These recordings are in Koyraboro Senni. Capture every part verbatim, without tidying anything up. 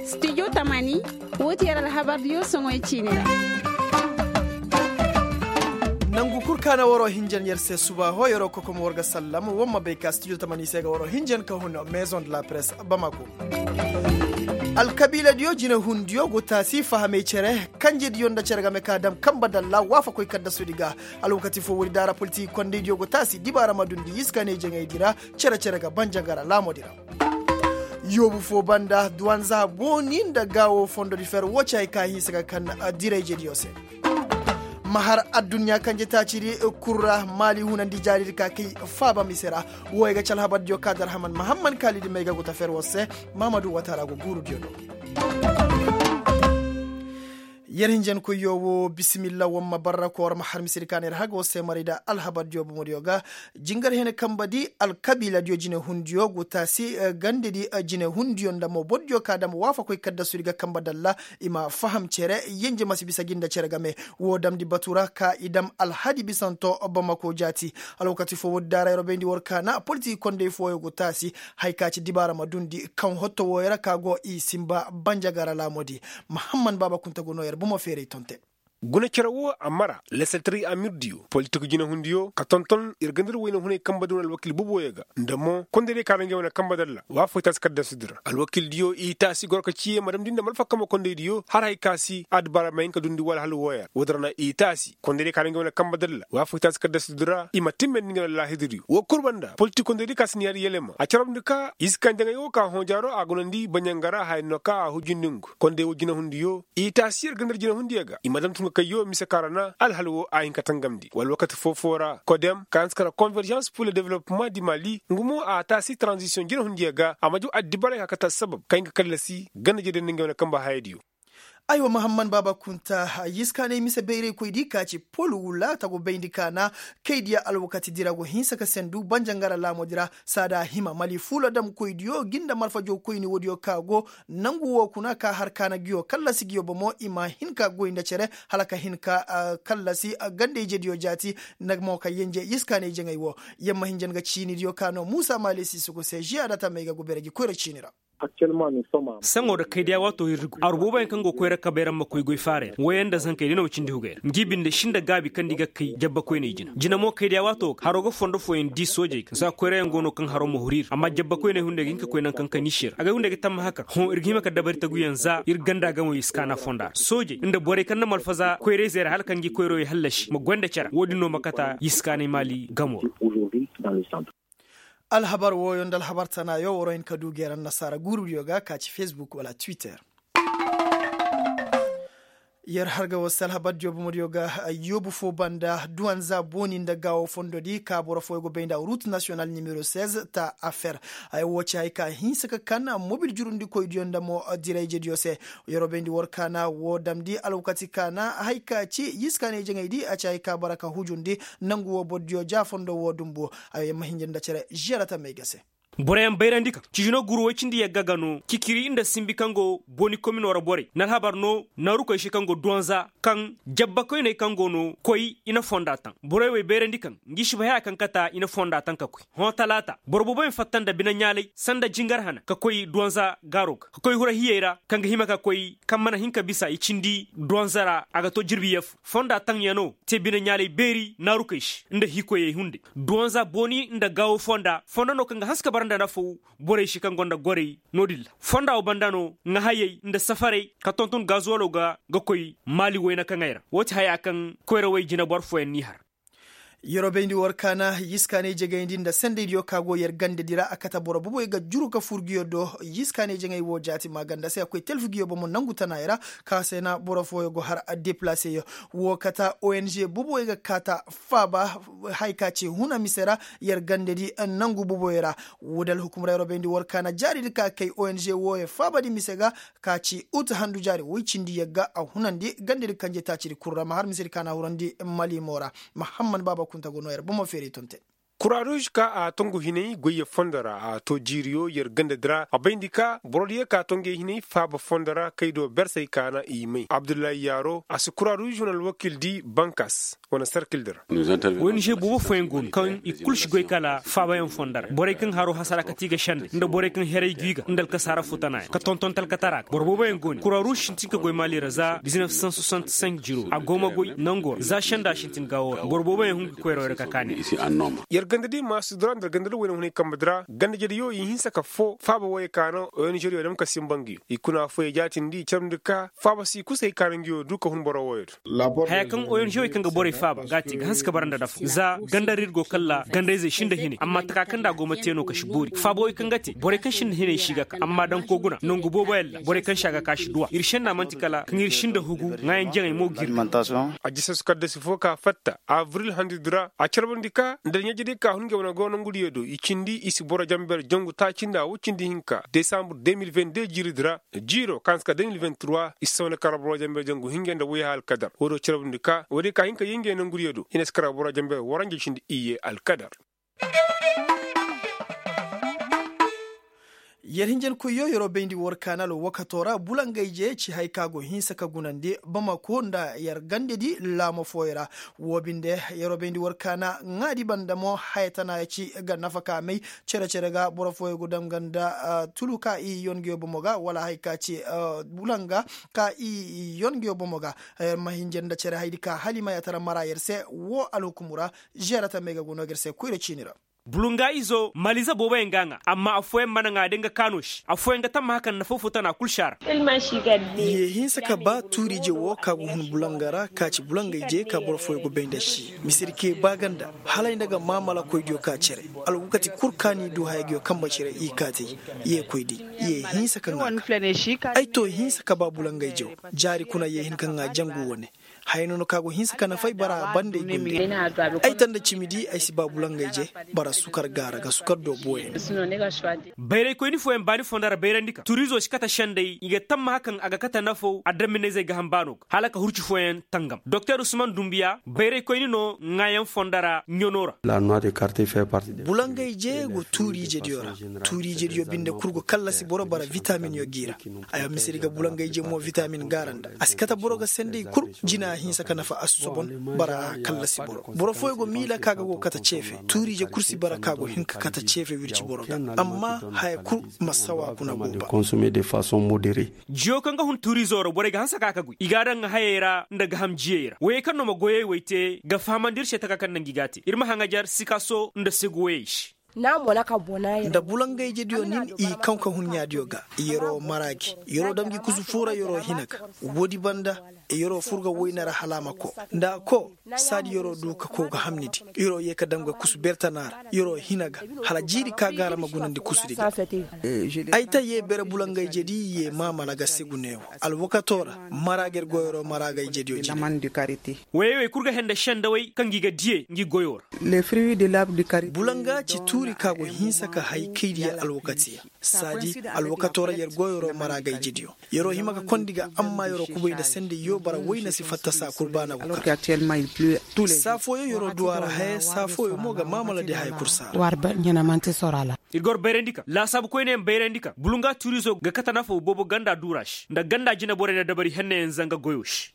Stijo tamani, woo ti yer alhabardiyo soŋoy ciini ra. Nangu kul ka na waroo hinjan yer se suba hoo yeroo kokom war ga sallam war ma bay ka stijo tamani se ga waroo hinjan ka hun. Maison de la presse, bamako. Alkabiiladiyo jinehundiyo go taasi fahamey cere kanjediyo nda cere game ka dam kanba dalla waafakoy kaddasudi ga. Alwakati foo woodi daara politik kondaydiyo go taasi dibaara ma dundi iskaaney jaŋaydi ra. Cere-cere ga banjangara laamodi ra. Yoobu foo banda duwanza booni nda gaawo fondodi fer woo ci hay ka hinsa ga kan dirayjediyo se. Ma har adduɲɲa kanje taacidi kul ra maali hunandi jaaridi ka kay faaba mise ra. Wooyo ga ci alhabardiyo ka darhaman mahamman kaalidi may ga guta fer woo se. Mahamadu wataara go guurudiyo do. Yer hinjankoyyo woo bisimilla war ma barra ka war ma har misedi ka na yer haga war se maray nda alhabardiyo bomodiyo ga. Jingar hene kanbadi alkabiiladiyo jinehundiyo go taasi gandedi jinehundiyo nda mo bordiyo ka dam waafakoy kaddasudi ga kanba dalla. I ma faham cere yenje ma si bisa gi nda cere game. Woo damndi batu ra ka i dam alhadi bisanto bamako jaati. Alwakati foo woodi daara yer bayndi war ka na politik kondey fooyo go taasi. Hay ka ci dibaara ma dundi kaŋ hotto wooyo ra ka go i sinba banjagara laamodi. Mahamman baaba kunta go noo yer bomo feeray tonte. Guna cere woo a mara lesetri amirdiyo politik jinehundiyo ka tonton ir gandar wayna hunay kanbadi wane alwakil boboyo ga nda mo kondaydiyo ka ra ngey wane kanba dalla waafakoy taasi kaddasudi ra alwakildiyo i taasi goro ka ciye ma damndi nda malfa kamo kondaydiyo har hay ka si addibaara ma hin ka dundi wala hal wooyo ra woodi ra na i taasi kondaydiyo ka ra ngey wane kanba dalla waafakoy taasi kaddasudi ra i ma timmandi ngey wane laahidadiyo woo kul banda politik kondaydiyo ka si ni yaadi yelema a carabndi ka iska njaŋay woo ka hõ jaaro a gunandi baɲanga ra haya no ka a hujindi ngu konday woo jinehundiyo i taasi yer gandar jinehundiyo ga i ma dam tun ga kayyo mise ka ra na alhal woo a hin ka tangamndi wala wakati foo-foo ra kodem ka hanse ka ra konverjans pur le developpeman di mali ngu mo a taasi taranzisiyoŋ jinehundiyo ga a ma jaw addibaray ka kate assabab kaŋ hin ka kallasi ganda jediyo nda ngey wane kanba hayadiyo. Aywa mahamman baaba kunta yiskaanay mise bayraykoydi ka ci pol wula tagu bayndi ka na kaydiya alwakatidi ra go hinsa ka sendu banjangara laamodi ra saada hima mali fuula damkoydiyo gi nda marfajawkoyni woodiyo ka go nangu woo kuna ka har kaana nguyo kallasi nguyo bomo i ma hin ka goy nda cere hala ka hin ka kallasi ganda-ijediyo jaati. Nda mo ka yenje yiskaanay jaŋay woo yamma hinja nga ciinidiyo ka no muusa maali siisuku se žiya da tamey ga gubere gi koyra ciini ra. Saŋo da kaydiya waato ir di go aru booboyaŋ kaŋ go koyra kabay ra ma koy goy faaray ra wooyaŋ nda zankey day no ma cindi hugay ra ngi binde si nda gaabi kaŋ nda i ga kay jabbakoyney jina jina mo kaydiya waato ga haro ga fondo fooyaŋ di soojey ga za koyrayaŋ go no kaŋ haro ma huru ir amma jabbakoyney hunday ga hin ka koy nangu kaŋ kaniisi ra agay hunday ga tammaha kaŋ hõ ir ga hima ka dabari taguyaŋ za ir ganda gamo yiskaana fonda ra soojey nda borey kaŋ na malfaza koyrayzey ra hala kaŋ ngi koyrawey hallasi ma goy nda care woodin no ma kata yiskaanay maali gamo ra. Alhabar wooyo nda alhabar tanaayo war wa hin ka du geera annasaara guurudiyo ga ka ci fesbuk wala twitter. Yer har ga war se alhabardiyo bomodiyo ga yoobu foo banda duwanza booni nda gaawo fondodi ka boro fooyo go bay nda rut nasiyonal nimero seize ta affer. Haya woo ci hay ka hinsa ka kan mobil jurundikoydiyo nda mo dirayjediyo se. Yer wo bayndi war kaana woo damndi alwakati kaana hay ka ci yiskaanay jaŋaydi a ci hay ka bara ka hujundi nangu woo bordiyo ja fondo woo dumbu. Ay ma hinja nda cere žiyara tamey ga se. Boroyaŋ bayrandi kaŋ ciji no guru woy cindi yagga ga no kikiri nda simbi kaŋ go booni komino ra borey na alhabar no naarukoy se kaŋ go duwanza kaŋ jabbakoyney kaŋ go no koy i na fonda taŋ borey wey bayrandi kaŋ ngi si bay haya kaŋ kata i na fonda taŋ ka koy hõ talaata boro booboyaŋ fatta nda bine ɲaalay sanda jingar hana ka koy duwanza gaaro ga ka koy hura hiyey ra kaŋ ga hima ka koy kaŋ mana hin ka bisa i cindi duwanza ra a ga to jirbi yee fo fonda taŋyano te bine ɲaalay beeri naarukey se nda hiikoyey hunday duwanza booni nda gaawo fonda fondo no kaŋ ga hanse ka bara nda nafaw borey se kaŋ gonda gorey no-din ra fonda wo banda no ŋahayey nda safarey ka tonton gazuwalo ga ga koy maali wayna kaŋey ra woo ti haya kaŋ koyrawey jineboro fooyaŋ n'i har. Yer wo bayndi war kaana yiskaanay jegayndi nda sendaydiyo ka go yer gandedi ra a kate boro boboy ga juru ka fur nguyo do yiskaanay jeŋay wo jaati maaganda se a koy telfu nguyo bomo nangu tanaay ra ka se na boro fooyo go har deplaseyo. Woo kata ong boboy ga kaata faaba haya ka ci huna mise ra yer gandedi nangu boboy ra. Woo da alhukumra yer wo bayndi war kaana jaaridi ka kay ong wooyo faabadi mise ga ka ci ut handu jaari woy cindi yagga a hunandi gandedi kanje taacidi kul ra ma har misedi ka na hurandi mali mo ra. Mahamman baaba kunta go noo yer bomo feeray tonte. Kura ruuz ka a tongu hinay goyye fondo ra a to jiiriyo yer gandadi ra a bayndi ka borodiyo ka tongey hinay faaba fondo ra kay do bersey kaana i may abdullahi yaaro a si kura ruuz wane alwakil di bankas wane sarkil di ra. Waynize boobo fooyaŋ go no kaŋ i kul si goy kala faabayaŋ fondo ra borey kaŋ haro hasara kati ga sende nda borey kaŋ heray gi ga nda alkasaara futanaayaŋ ka tonton talkatara ga boro booboyaŋ go no kura ruuz sintin ka goy maali ra za diznef san soixante cinq jiro a go ma goy nango ra za senda sintin gaawo ra boro booboyaŋ hun ga koyra wayra ka kaani. Yer ganda di maasi dura nda yer ganda di wayna hunay kambe di ra ganda jediyo i hinsa ka foo faaba wooyo ka no ong diyo dam ka sinba nguyo i kuna fooyo jaatindi i carmndi ka faaba si kusa hay ka no nguyo du ka hun boro wooyo do. Haya kaŋ ong diyo kaŋ ga borey faaba ga a te ga hanse ka bara nda dafo za ganda ra ir go kalla gandayzey sinda hinay amma taka kaŋ nda a go ma te no ka si boori faaba wooyo kaŋ ga te borey kaŋ sinda hinay si ga ka amma dankoo guna nangu booboyaŋ ra borey kaŋ si a ga ka si duw'a ir senna man'ti kala kaŋ ir sinda hugu ŋaayan jaŋey mo gir. A jisas kaddasi foo ka fatta abril handudi ra a carbandi ka nda ɲaajidi ka hun ngey wane go nongudiyo do i cindi i si boro jamber jangu taaci nda woy cindi hinka desambre deux mille vingt deux jiiridi ra jiiro ka hanse ka deux mille vingt trois i si sawna kala boro jamber jangu hinja nda woy alkadar woy do carbandi ka woy day ka hin ka yee ngey nongudiyo do i na si kala boro jamber waranja cindi iyye alkadar. Yer hinjankoyyo yeroo bayndi war kaana alwakato ra bulangayje ci haya ka go hinsa ka gunandi bamako nda yer gandedi laamo fooyo ra. Woo binde yeroo bayndi war kaana ŋaadi banda mo haya tanaaya ci ga nafa ka may cere-cere ga boro fooyo go danga nda tulu ka i yongeyo bomo ga wala haya ka ci bulanga ka i yongeyo bomo ga. Yer ma hinja nda cere hayadi ka hala i ma yaatara mara yer se woo alhukumu ra. Zeera tamey ga go no ga yer se koyra ciini ra. Bulunga izo maliza booboyaŋ ga a ŋaa amma affooyaŋ mana ŋaa day nga kaano se affooyaŋ ga tamma hakan nafa foo tana kul si a ra. Ye hinsa ka ba tuuriije woo ka go hun bulanga ra ka ci bulangayje ka boro fooyaŋ go bay nda si misirke ba ganda hala ay nda ga maamalakoydiyo ka cere. Alwakati kul ka ni du hayadiyo kambe cere i kaati. Ye koydi ye hinsa ka ŋaa ga ay to hinsa ka ba bulangayje woo jaari kuna ye hin ka ŋaa jangu wane. Haya nono ka go hinsa ka nafa ay bara banda ay goy nda ay ay tanda cimi di ay si ba bulangayje. Bara sukar gaara ga sukar do booyaŋ. Bayraykoyni fooyaŋ baani fondo ra bayrandi ka turiizo si kate sendey i ga tammaha kaŋ a ga kate nafaw adamminayzey ga ham baano ga hala ka hurci fooyaŋ tangam doktor usman dumbiya bayraykoyni no ŋaayaŋ fondo ra ɲano ra. Bulangayje go tuuriijediyo ra. Tuuriijediyo binde kul go kallasi boro bara vitaminyo g'i ra. Ay mise di ga bulangayje mo vitamin gaara nda a si kate boro ga sendey kul. Jina hinsa ka nafa a si sobon. Bara a kallasi boro boro fooyo go miila ka ga go kate ceefe tuuriije kul si bara ka go hin ka kate ceefe wirci boro ga. Amma haya kul ma sawa kuna go ba. Jiyo kaŋ ga hun tuuriizo ra borey ga hanse ka ka goy i ga a daŋ hayey ra nda gaham jiyey ra woyey kaŋ no ma goyey wey te ga fahamandi ir se taka kaŋ naŋ gi ga a te ir ma haŋajar sikaso nda segu woyey se. Nda bulangayjediyo nin i kaŋ ka hun ɲaadiyo ga. Yeroo mara gi yeroo dam gi kusu foo ra yeroo hina ga. Woodi banda yeroo fur ga woyne ra hala a ma koo nda a koo. Saadi yeroo du ka koo ga hamni di yeroo yee ka dam ga kusu bertana ra yeroo hina ga. Hala jiiri ka gaara ma gunandi kusudi ga. Ay ta yee bere bulangayjedi yee maamala ga segu neewo. Alwakatoo ra mara ga ir goyoo ra mara ga ijediyo jine. Woyey wey kul ga hende sendawey kaŋ gi ga diyey ngi goyoo ra. Bulanga ci tuuri ka go hinsa ka hay kaydiya alwakatiya. Saadi alwakatoo ra yer goyoo ra mara ga ijediyo. Yeroo hima ga kondi ga amma yeroo kubay nda sendey yoo bara woyne si fatta saa kul baana go kar. Saa fooyo yeroo du a ra haya saa fooyo mo ga maamala di haya kul saa ra. Ir gor bayrandi ka laasaabu koyneyaŋ bayrandi ka bulunga tuurizo ga kate nafaw boobo ganda duura se nda ganda jineborey na dabari hennayaŋ zanga goyo se.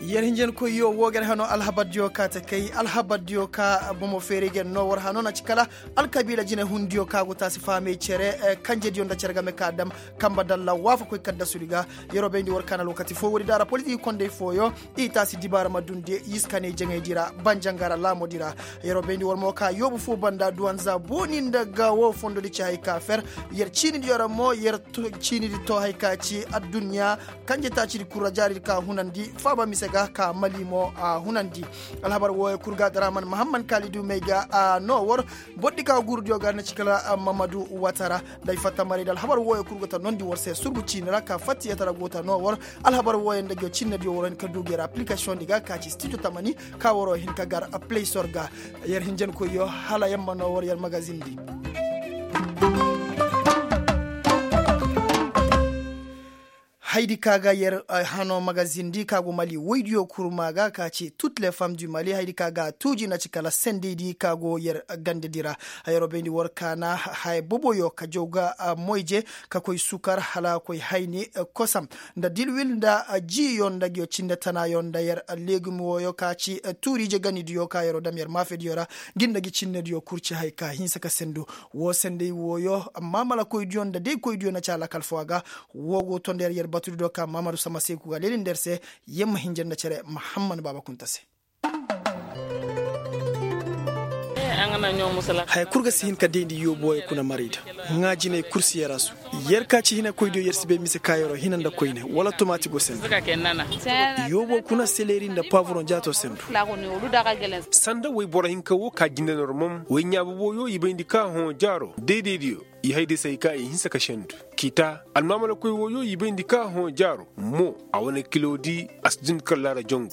Yer hinjankoyyo woo ga yer hanoo alhabardiyo ka ta kay alhabardiyo ka bomo feeray ga yer noo war hanoo na ci kala alkabiila jinehundiyo ka go taasi fahamey cere kanjediyo nda cere game ka dam. Kambe dalla waafakoy kaddasudi ga. Yeroo bayndi war kaana lookati foo woodi da ra politik kondey fooyo i taasi dibaara ma dundi yiskaney jaŋaydi ra banjangara laamodi ra. Yeroo bayndi war mo ka yoobu foo banda duwanza booni nda ga woo fondodi ci hay ka fer. Yer ciinidiyo ra mo yer ciinidi too hay ka ci adduɲɲa. Kanje taacidi kul ra jaaridi ka hunandi faaba mise ga ka mali mo a hunandi. Alhabar wooyo kul ga daraman mahamman kaalidu may ga a noo war. Bordi ka guurudiyo ga na ci kala mamadu watara. Nda ay fatta maray nda alhabar wooyo kul go ta noondi war se surgu ciini ra ka fattiyatara go ta noo war. Alhabar wooyo nda ngiyo cinnediyo waro hin ka du ngi yer aplikasiyoŋ di ga ka ci stijo tamani ka waro hin ka gar playsor ga. Yer hinjankoyyo hala yer ma noo war yer magazin di. Haydi ka ga yer hano magazin di ka go mali woydiyo kurma ga ka ci tut le fam du mali haydi ka ga a tuuji na ci kala sendey di ka go yer ganda di ra. Yeroo bayndi war kaana haya boboyo ka jaw ga moyje ka koy sukar hala koy hayni kosam nda dilwil nda jiiyo nda ngiyo cinde tanaayo nda yer legum wooyo ka ci tuuriije ganidiyo ka yeroo dam yer maafediyo ra. Ngi nda ngi cinnediyo kul ci hay ka hinsa ka sendu. Woo sendey wooyo amma malakoydiyo nda daykoydiyo na ci alakal foo a ga. Woo go to nda yer yer batudi do ka maamadu sama seeku ga leeli nda yer se. Yer ma hinja nda cere mahammad baaba kunta se. Haya kul ga si hin ka dayndi yoobo wooyo kuna marayda. Ŋaa jinay kul si yer a su. Yer ka ci hinakoydiyo yer si bay mise ka yeroo hina nda koyne wala tomaati go sendu. Yoobo kuna seleri nda paaburoŋ jaato sendu. Sanda woy boro hinka woo ka jinde normom woy ɲaa boboyo i bayndi ka hõ jaaro daydaydiyo. I hayday se hay ka i hinsa ka sendu. Kiita almaamalakoy wooyo i bayndi ka hõ jaaro mo a wane kiloodi a si dundi kar laara jangu.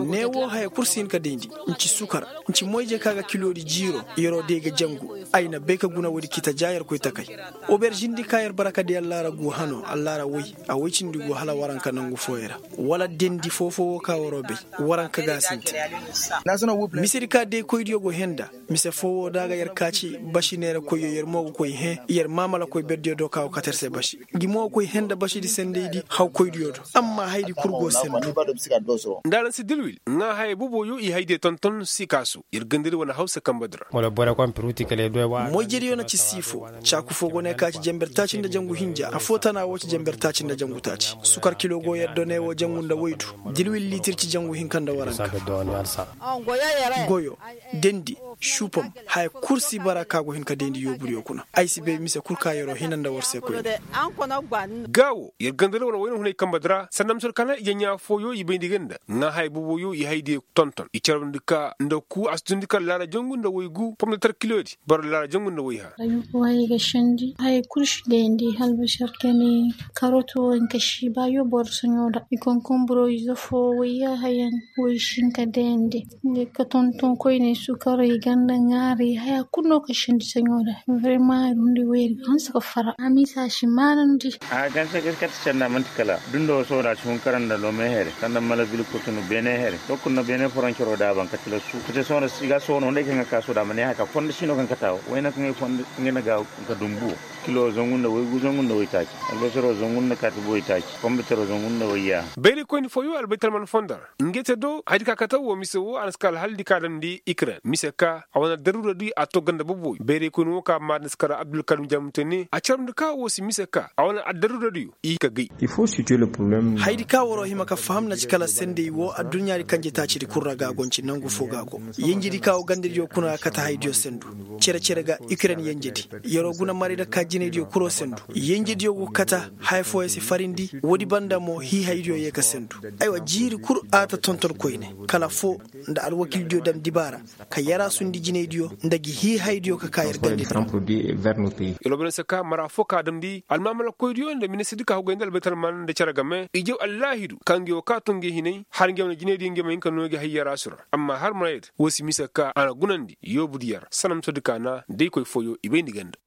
Ne woo haya kul si hin ka dayndi. Nci sukar nci moyje ka ga kiloodi jiiro. Yeroo day ga jangu. Ay na bay ka guna woodi kiita ja yer koy takay. Oberžindi ka yer bara ka day allaara gu hano allaara woy. A woy cindi gu hala waranka nangu fooyey ra. Wala dendi foo-foo woo ka waroo bay. Waranka ga a sintin. Misedi ka daykoydiyo go hẽe nda. Mise foo woo da a ga yer kaaci basi neerakoyyo yer mo ga koy hẽe yer maamalakoy berdiyo do ka go kate yer se basi. Ngi mo ga koy hẽe nda basidi sendaydi hawkoydiyo do. Amma hayadi kul go sendu. Nda araŋ si dilwil ŋaa hayey boboyo i hayadiyo tonton sikaasu. Yer gandadi wane hawsa kambadi ra. Moyjediyo na ci siifo. Caaku foo go ne ka ci jenber taaci nda jangu hinja affoo tana woo ci jenber taaci nda jangu taaci sukar kilo go yer do ne woo jangu nda woydu. Dilwil liitir ci jangu hinka nda waranka. Goyo, dendi, supom, haya kul si bara ka go hin ka dendi yoobudiyo kuna. Ay si bay mise kul ka yeroo hina nda war se koyne. Gaa wo yer gandara wane wayna hunay kambadi ra sanda mise war kaana ije ɲaa fooyo i bayndi ga nda ŋaa haya boboyo i haydiyo tonton i carabndi ka nda kuu a si dundi kar laara jangu nda woy gu pomdatar kiloodi boro laara jangu nda woy ha. Haya kul si dendi albasar kani karot wo hinka si ba yo boro soɲo da i konkomburo ize foo woy ya hayan. Woy si hinka dendi. Nga ka tonton koyne sukaray ganda ŋaaray haya kul no ka sindi saɲo da. Vrema ay dundi woyri ga hanse ka fara a misa si maanandi. A ganse ga kate sanda manti kala dundo sohõ da si hun kara nda lome here sanda mala vil kotunu beene here. Dokul na beene foroncoro da a ban kate la su kate sohõ da si ga sohõ no nda ay kaŋ ga ka sohõ da a ma ne haya ka fondo si no kaŋ kate a wo wayna kaŋ ay fondo nga na ga ka dumbu wo. Kilo zangu nda woy gu zangu nda woy taaci. Albasaro zangu nda kaati boy taaci. Fombitaro zangu nda woy yaaha. Bayraykoyni fooyo albaytalman fondo ra. Ngey te do hayadi ka kate woo mise woo a na si ka alhaldi ka damndi ikren mise ka a wane addaruuradiyo a too ganda boboyo bayraykoyni woo ka maadin si kara abdulkarim jaamute ne a carabndi ka woo si mise ka a wane addaruuradiyo i ka gay. Hayadi ka waroo hima ka faham na ci kala sendey woo adduɲɲaadi kanje taacidi kul ra ga a go nci nangu foo ga a go. Yenjedi ka woo gandadiyo kuna ga kate hayadiyo sendu. Cere-cere ga ikren yenjedi. Yeroo guna maray nda ka jinaydiyo kuloo sendu. Yenjediyo go kata haya fooyaŋ si farindi. Woodi banda mo hiihaydiyo yee ka sendu. Aywa jiiri kul a ta tonton koyne kala foo nda alwakildiyo dam dibaara ka yaraasundi jinaydiyo nda ngi hiihaydiyo ka ka yer gandediyo. Yer wo bane se ka mara foo ka damndi almaamalakoydiyo nda minisirdi ka hogay nda albaytalman nda cere game i jaw allaahidu ka ngi woo ka too ngi hinay har ngi wane jinaydiyo ngi ma hin ka noo ngi hay yaraasu ra. Amma har marayda woo si mise ka a na gunandi yoobudiyo ra sanamusodi ka na daykoy fooyo i bayndi ganda.